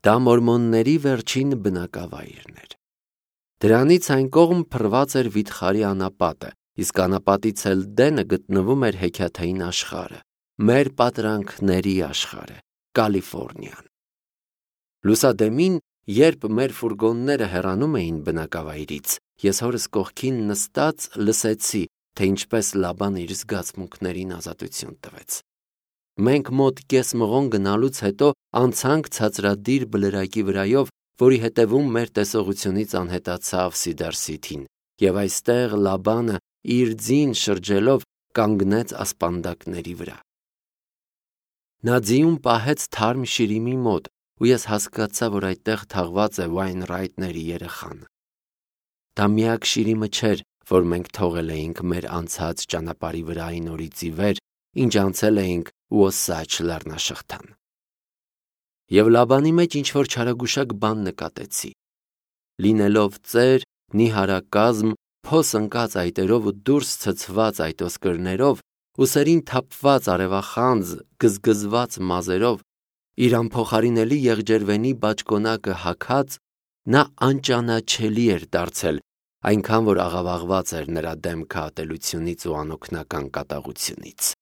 Դա մորմոնների վերջին բնակավայրն էր։ Դրանից այն կողմ փռված էր վիթխարի անապատը, իսկ անապատից էլ դենը գտնվում էր հեքիաթային աշխարհը, մեր պատրանքների աշխարհը, Կալիֆոռնիան։ Լուսադեմին, երբ մեր ֆուրգոնները հեռանում էին բնակավայրից, ես հորս կողքին նստած լսեցի, թե ինչպես Լաբան իր զգացմունքներին ազատություն տվեց։ Մենք մոտ կես մղոն գնալուց հետո անցանք ցածրադիր բլրակի վրայով, որի հետևում մեր տեսողությունից անհետացավ Սիդար Սիթին, եւ այստեղ Լաբանը իր ձին շրջելով կանգնեց ասպանդակների վրա։ Նա ձիուն պահեց թարմ շիրիմի մոտ, ու ես հասկացա, որ այդտեղ թաղված է Վայնրայթների երեխան։ Դա միակ շիրիմը չէր, որ մենք թողել էինք մեր անցած ճանապարհի վրա այն օրից ի վեր, ինչ անցել էինք Ուոսաչ լեռնաշղթան։ Եվ Լաբանի մեջ ինչ-որ չարագուշակ բան նկատեցի։ Լինելով ծեր, նիհարակազմ, փոս ընկած այտերով ու դուրս ցցված այտոսկրներով, ուսերին թափված արևախանձ, գզգզված մազերով, իր անփոխարինելի եղջերվենի բաճկոնակը հագած, նա անճանաչելի էր դարձել, այնքան որ աղավաղված էր նրա դեմքը ատելությունից ու անօգնական կատաղությունից։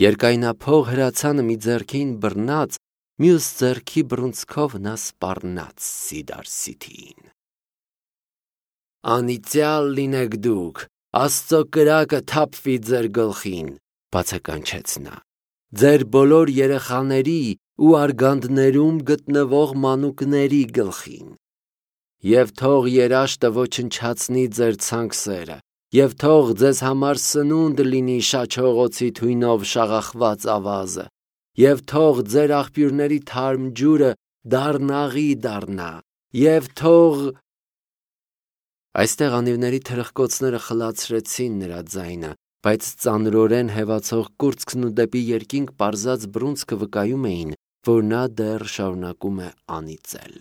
Երկայնափող հրացանը մի ձեռքին բռնած, մյուս ձեռքի բռունցքով նա սպառնաց Սիդար Սիթիին։ «Անիծյալ լինեք դուք, Աստծո կրակը թափվի ձեր գլխին», բացականչեց նա, «ձեր բոլոր երեխաների ու արգանդներում գտնվող մանուկների գլխին։ Եվ թող երաշտը ոչնչացնի ձեր ցանքսերը, և թող ձեզ համար սնունդ լինի շաչողոցի թույնով շաղախված ավազը, և թող ձեր աղբյուրների թարմ ջուրը դառնաղի դառնա, և թող…» Այստեղ անիվների թրխկոցները խլացրեցին նրա ձայնը, բայց ծանրորեն հևացող կուրծքն ու դեպի երկինք պարզած բռունցքը վկայում էին, որ նա դեռ շարունակում է անիծել։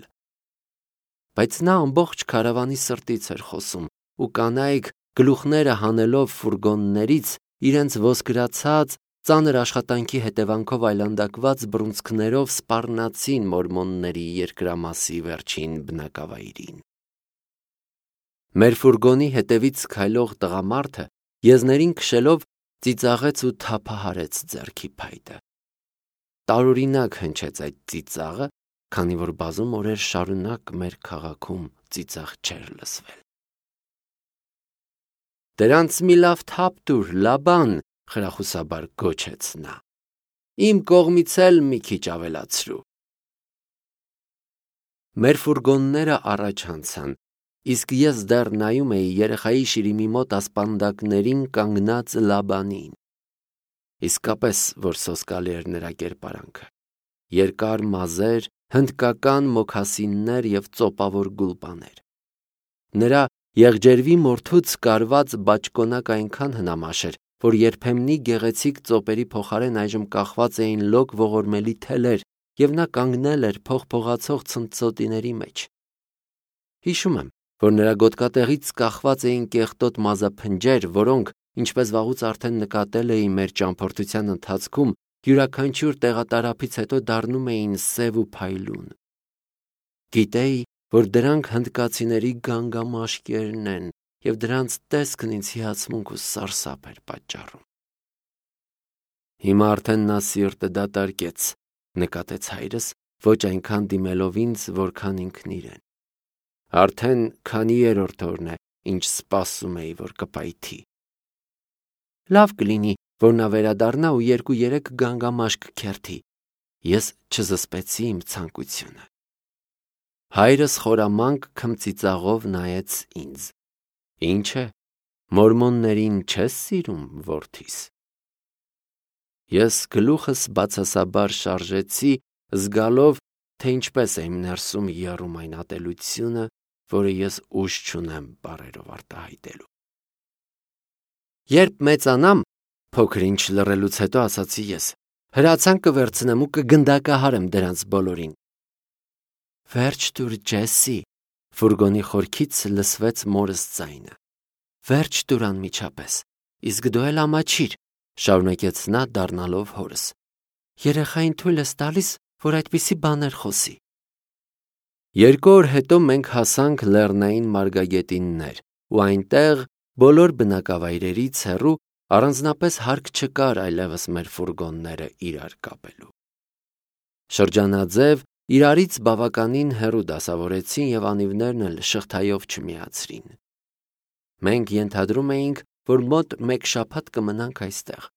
Բայց նա ամբողջ քարավանի սրտից էր խոսում, ու կանայք, գլուխները հանելով ֆուրգոններից, իրենց ոսկրացած, ծանր աշխատանքի հետևանքով այլանդակված բռունցքներով սպառնացին մորմոնների երկրամասի վերջին բնակավայրին։ Մեր ֆուրգոնի հետևից քայլող տղամարդը, եզներին քշելով, ծիծաղեց ու թափահարեց ձեռքի փայտը։ Տարօրինակ հնչեց այդ ծիծաղը, քանի որ բազում օրեր շարունակ մեր քաղաքում ծիծաղ չէր լսվել։ «Դրանց մի լավ թափ տուր, Լաբան», խրախուսաբար գոչեց նա։ «Իմ կողմից էլ մի քիչ ավելացրու»։ Մեր ֆուրգոնները առաջ անցան, իսկ ես դեռ նայում էի երեխայի շիրիմի մոտ ասպանդակներին կանգնած Լաբանին։ Իսկապես, որ սոսկալի էր նրա կերպարանքը։ Երկար մազեր, հնդկական մոքասիններ և ծոպավոր գուլպաներ։ Նրա եղջերվի մորթուց կարված բաճկոնակը այնքան հնամաշ էր, որ երբեմնի գեղեցիկ ծոպերի փոխարեն այժմ կախված էին լոկ ողորմելի թելեր, և նա կանգնել էր փողփողացող ցնծոտիների մեջ։ Հիշում եմ, որ նրա գոտկատեղից կախված էին կեղտոտ մազափնջեր, որոնք, ինչպես վաղուց արդեն նկատել էի մեր ճամփորդության ընթացքում, յուրաքանչյուր տեղատարափից հետո դառնում էին սև ու փայլուն։ Գիտեի, որ դրանք հնդկացիների գանգամաշկերն են, և դրանց տեսքն ինձ հիացմունք ու սարսափ էր պատճառում։ Հիմա արդեն նա սիրտը դատարկեց, նկատեց հայրս, ոչ այնքան դիմելով ինձ, որքան ինքն իրեն։ Արդեն քանի երրորդ օրն է, ինչ սպասում էի, որ կպայթի։ Լավ կլինի, որ նա վերադառնա ու 2-3 գանգամաշկ քերթի։ Ես չզսպեցի իմ ցանկությունը։ Հայրս խորամանկ քմծիծաղով նայեց ինձ։ Ինչ է, մորմոններին չես սիրում, որդիս։ Ես գլուխս բացասաբար շարժեցի, զգալով, թե ինչպես է իմ ներսում եռում այն ատելությունը, որը ես ուժ չունեմ բառերով արտահայտելու։ Երբ մեծանամ, փոքր-ինչ լռելուց հետո ասացի ես, հրացան կվերցնեմ ու կգնդակահարեմ դրանց բոլորին։ Վերջ տուր, Ջեսի, ֆուրգոնի խորքից լսվեց մորս ձայնը։ Վերջ տուր անմիջապես, իսկ դու էլ ամաչիր, շարունակեց նա դառնալով հորս։ Երեխային թույլ ես տալիս, որ այդպիսի բաներ խոսի։ 2 օր հետո մենք հասանք Լեռնային մարգագետիններ, ու այնտեղ բոլոր բնակավայրերից հեռու առանձնապես հարկ չկար այլևս մեր ֆուրգոնները իրար կապելու։ Շրջանաձև իրարից բավականին հեռու դասավորեցին և անիվներն էլ շղթայով չմիացրին։ Մենք ենթադրում էինք, որ մոտ 1 շաբաթ կմնանք այստեղ։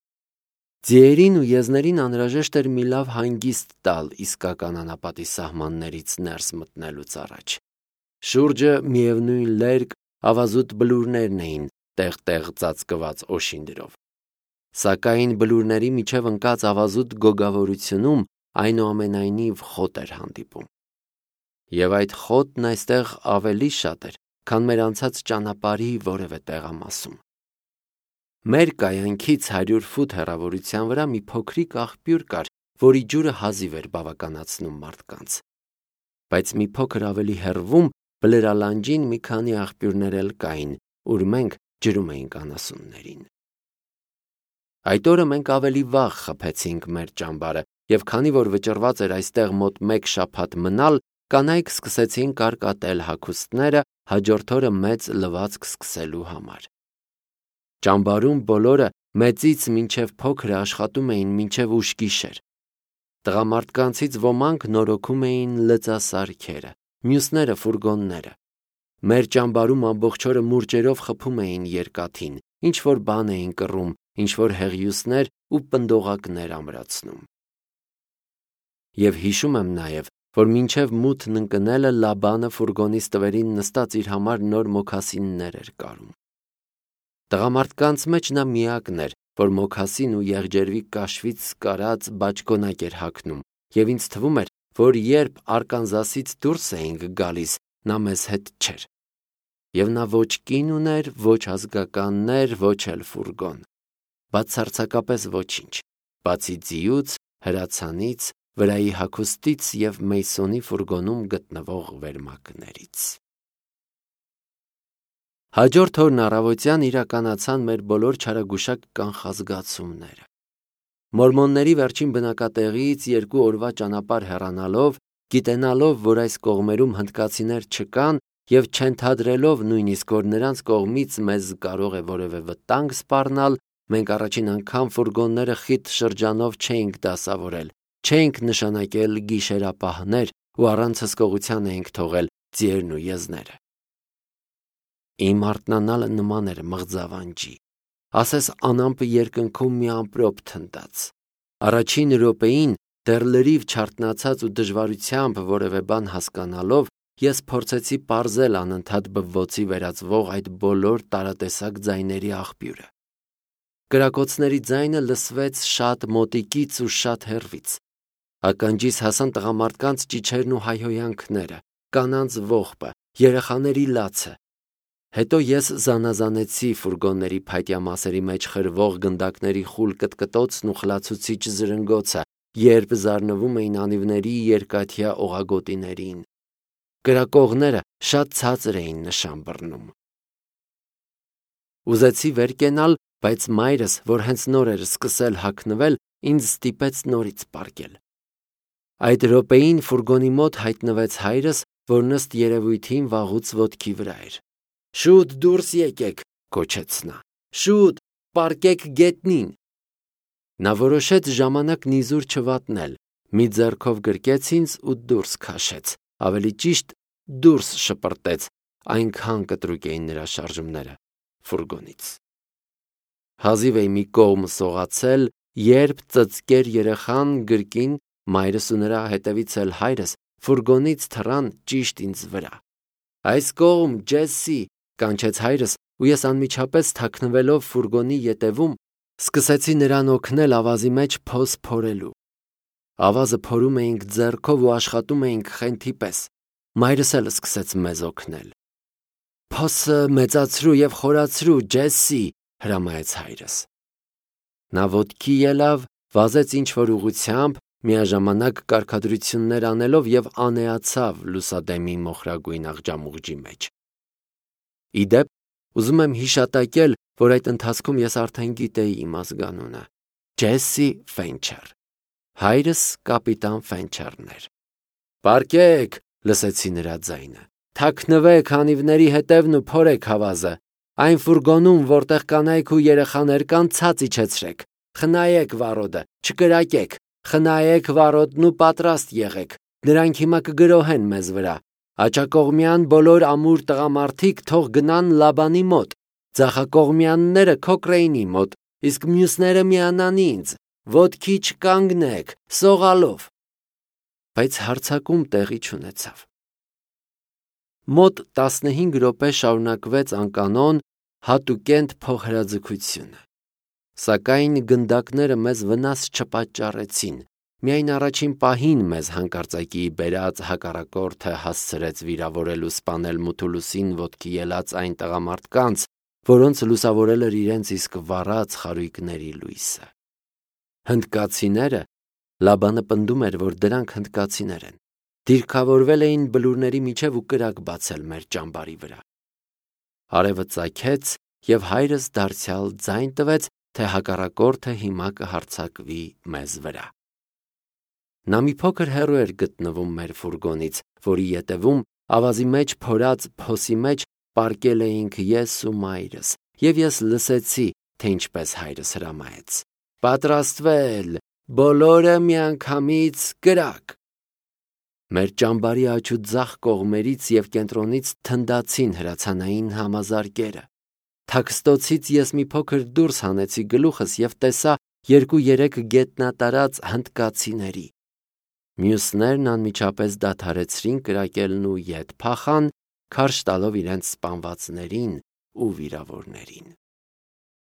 Ձիերին ու եզներին անհրաժեշտ էր մի լավ հանգիստ տալ իսկական անապատի սահմաններից ներս մտնելուց առաջ։ Շուրջը միևնույն լերկ, ավազուտ բլուրներն էին տեղ-տեղ ծածկված օշինդրով։ Սակայն բլուրների միջև ընկած ավազուտ գոգավորությունում այնուամենայնիվ խոտ էր հանդիպում։ Եվ այդ խոտն այստեղ ավելի շատ էր, քան մեր անցած ճանապարհի որևէ տեղամասում։ Մեր կայանքից 100 ֆուտ հեռավորության վրա մի փոքրիկ աղբյուր կար, որի ջուրը հազիվ էր բավականացնում մարդկանց։ Բայց մի փոքր ավելի հեռվում բլրալանջին մի քանի աղբյուրներ էլ կային, ուր մենք ջրում էինք անասուններին։ Այդ օրը մենք ավելի վաղ խփեցինք մեր ճամբարը, և քանի որ վճռված էր այստեղ մոտ 1 շաբաթ մնալ, կանայք սկսեցին կարկատել հագուստները հաջորդ օրը մեծ լվացք սկսելու համար։ Ճամբարում բոլորը մեծից մինչև փոքրը աշխատում էին մինչև ուշ գիշեր։ Տղամարդկանցից ոմանք նորոգում էին լծասարքերը, մյուսները ֆուրգոնները։ Մեր ճամբարում ամբողջ օրը մուրճերով խփում էին երկաթին, ինչ-որ բան էին կռում, ինչ-որ հեղիուսներ ու պնդողակներ ամրացնում։ Եվ հիշում եմ նաև, որ մինչև մութն ընկնելը Լաբանը ֆուրգոնից տվերին նստած իր համար նոր մոքասիններ էր կարում։ Տղամարդկանց մեջ նա միակն էր, որ մոքասին ու եղջերվի կաշվից կարած բաճկոնակ էր հագնում, և ինձ թվում էր, որ երբ Արկանզասից դուրս էինք գալիս, նա մեզ հետ չէր։ Եվ նա ոչ կին ուներ, ոչ ազգականներ, ոչ էլ ֆուրգոն։ Բացարձակապես ոչինչ, բացի ձիուց, հրացանից, վրայի հագուստից և Մեյսոնի ֆուրգոնում գտնվող վերմակներից։ Հաջորդ օրն առավոտյան իրականացան մեր բոլոր չարագուշակ կանխազգացումները։ Մորմոնների վերջին բնակատեղիից 2 օրվա ճանապարհ հեռանալով, գիտենալով, որ այս կողմերում հնդկացիներ չկան և չենթադրելով նույնիսկ, որ նրանց կողմից մեզ կարող է որևէ վտանգ սպառնալ, մենք առաջին անգամ ֆուրգոնները խիտ շրջանով չէինք դասավորել, չէինք նշանակել գիշերապահներ ու առանց հսկողության էինք թողել ձիերն ու եզները։ Իմ արթնանալը նման էր մղձավանջի, ասես անամպը երկնքում մի ամպրոպ թնդաց։ Առաջին րոպեին, դեռ լրիվ չարթնացած ու դժվարությամբ որևէ բան հասկանալով, ես փորձեցի պարզել անընդհատ բվոցի վերածվող այդ բոլոր տարատեսակ ձայների աղբյուրը։ Կրակոցների ձայնը լսվեց շատ մոտիկից ու շատ հեռվից։ Ականջիս հասան տղամարդկանց ճիչերն ու հայհոյանքները, կանանց ողբը, երեխաների լացը։ Հետո ես զանազանեցի ֆուրգոնների փայտյա մասերի մեջ խրվող գնդակների խուլ կտկտոցն ու խլացուցիչ զրնգոցը, երբ զարնվում էին անիվների երկաթյա օղագոտիներին։ Կրակողները շատ ցածր էին նշան բռնում։ Ուզեցի վեր կենալ, բայց մայրս, որ հենց նոր էր սկսել հագնվել, ինձ ստիպեց նորից պառկել։ Այդ րոպեին ֆուրգոնի մոտ հայտնվեց հայրս, որ ըստ երևույթին վաղուց ոտքի վրա էր։ «Շուտ դուրս եկեք», գոչեց նա։ «Շուտ, պառկեք գետնին»։ Նա որոշեց ժամանակ նիզուր չվատնել, մի ձեռքով գրկեց ինձ ու դուրս քաշեց, ավելի ճիշտ դուրս շպրտեց, այնքան կտրուկ էին նրա շարժումները ֆուրգոնից։ Հազիվ էի մի կողմ սողացել, երբ ծծկեր երեխան գրկին, մայրս ու նրա հետևից էլ հայրս ֆուրգոնից թռան ճիշտ ինձ վրա։ «Այս կողմ, Ջեսսի», կանչեց հայրս, ու ես անմիջապես թաքնվելով ֆուրգոնի ետևում, սկսեցի նրան օգնել ավազի մեջ փոս փորելու։ Ավազը փորում էինք ձեռքով ու աշխատում էինք խենթի պես։ Մայրս էլ սկսեց մեզ օգնել։ «Փոսը մեծացրու և խորացրու, Ջեսսի», հրամայեց հայրս։ Նա ոտքի ելավ, վազեց ինչ-որ ուղղությամբ, միաժամանակ կարգադրություններ անելով և անեացավ լուսադեմի մոխրագույն աղջամուղջի մեջ։ Ի դեպ, ուզում եմ հիշատակել, որ այդ ընթացքում ես արդեն գիտեի իմ ազգանունը՝ Ջեսսի Ֆենչեր։ Հայրս կապիտան Ֆենչերն էր։ «Պառկեք, լսեցի նրա ձայնը։ Թաքնվեք անիվների հետևն ու փորեք հավազը։ Այն ֆուրգոնում, որտեղ կանայք ու երեխաներ կան, ցած իջեցրեք։ Խնայեք վառոդը, չկրակեք։ Խնայեք վառոդն ու պատրաստ եղեք։ Նրանք հիմա կգրոհեն մեզ վրա։ Աջակողմյան բոլոր ամուր տղամարդիկ թող գնան Լաբանի մոտ, ձախակողմյանները Քոկրեյնի մոտ, իսկ մյուսները միանան ինձ։ Ոտքի չկանգնեք, սողալով։ Բայց հարձակում տեղի չունեցավ։ Մոտ 15 րոպե շարունակվեց անկանոն հատուկենտ փոխհրաձգությունը։ Սակայն գնդակները մեզ վնաս չպատճառեցին։ Միայն առաջին պահին մեզ հանկարծակի բերած հակառակորդը հասցրեց վիրավորել ու սպանել Մութուլուսին ոտքի ելած այն տղամարդկանց, որոնց լուսավորել էր իրենց իսկ վառած խարույկների լույսը։ Հնդկացիները, Լաբանը պնդում էր, որ դրանք հնդկացիներ են, դիրքավորվել էին բլուրների միջև ու կրակ բացել մեր ճամբարի վրա։ Արևը ծագեց և հայրս դարձյալ ձայն տվեց, թե հակառակորդը հիմա կհարձակվի մեզ վրա։ Նա մի փոքր հեռու էր գտնվում մեր ֆուրգոնից, որի ետևում ավազի մեջ փորած փոսի մեջ պառկել էինք ես ու մայրս, և ես լսեցի, թե ինչպես հայրս հրամայեց. «Պատրաստվել, բոլորը միանգամից կրակ»։ Մեր ճամբարի աջ ու ձախ կողմերից և կենտրոնից թնդացին հրացանային համազարկերը։ Թաքստոցից ես մի փոքր դուրս հանեցի գլուխս և տեսա 2-3 գետնատարած հնդկացիների։ Մյուսներն անմիջապես դադարեցրին կրակելն ու ետ փախան, քարշ տալով իրենց սպանվածներին ու վիրավորներին։